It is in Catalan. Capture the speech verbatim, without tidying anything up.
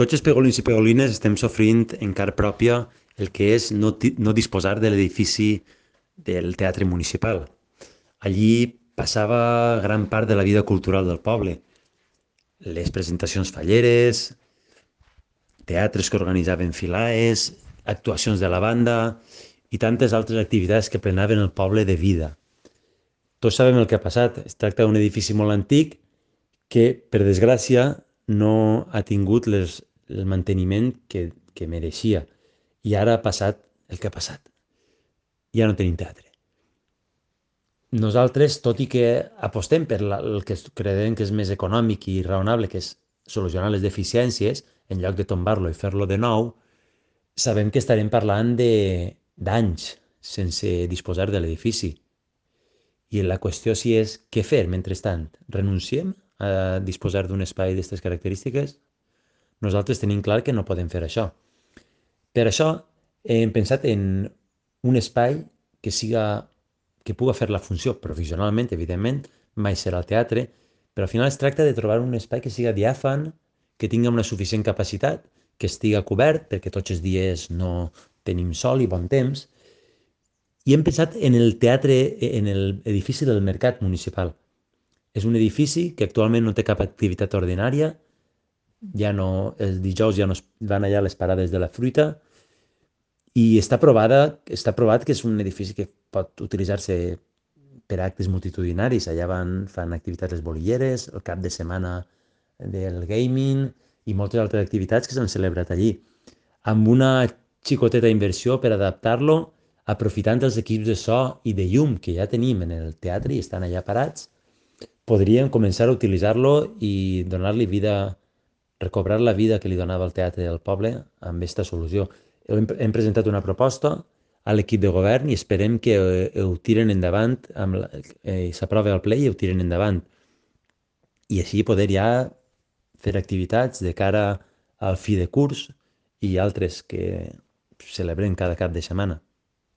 Tots els pegolins i pegolines estem sofrint en carn pròpia el que és no, ti- no disposar de l'edifici del teatre municipal. Allí passava gran part de la vida cultural del poble. Les presentacions falleres, teatres que organitzaven filaes, actuacions de la banda i tantes altres activitats que plenaven el poble de vida. Tots sabem el que ha passat. Es tracta d'un edifici molt antic que, per desgràcia, no ha tingut les, el manteniment que, que mereixia. I ara ha passat el que ha passat. Ja no tenim teatre. Nosaltres, tot i que apostem per la, el que creiem que és més econòmic i raonable, que és solucionar les deficiències, en lloc de tombar-lo i fer-lo de nou, sabem que estarem parlant de d'anys sense disposar de l'edifici. I la qüestió si és què fer mentrestant. Renunciem a disposar d'un espai d'aquestes característiques? Nosaltres tenim clar que no podem fer això. Per això hem pensat en un espai que siga que puga fer la funció professionalment, evidentment, mai serà el teatre, però al final es tracta de trobar un espai que siga diàfan, que tingui una suficient capacitat, que estiga cobert, perquè tots els dies no tenim sol i bon temps, i hem pensat en el teatre, en l'edifici del Mercat Municipal. És un edifici que actualment no té cap activitat ordinària, ja no, els dijous ja no es van allà a les parades de la fruita, i està provada, està provat que és un edifici que pot utilitzar-se per actes multitudinaris. Allà van, fan activitats les bolilleres, el cap de setmana del gaming i moltes altres activitats que s'han celebrat allí. Amb una xicoteta inversió per adaptar-lo, aprofitant els equips de so i de llum que ja tenim en el teatre i estan allà parats, podríem començar a utilitzar-lo i donar-li vida, recobrar la vida que li donava el teatre del poble amb aquesta solució. Hem, hem presentat una proposta a l'equip de govern i esperem que eh, ho tiren endavant, amb la, eh, s'aprovi al ple i ho tiren endavant. I així poder ja fer activitats de cara al fi de curs i altres que celebrem cada cap de setmana.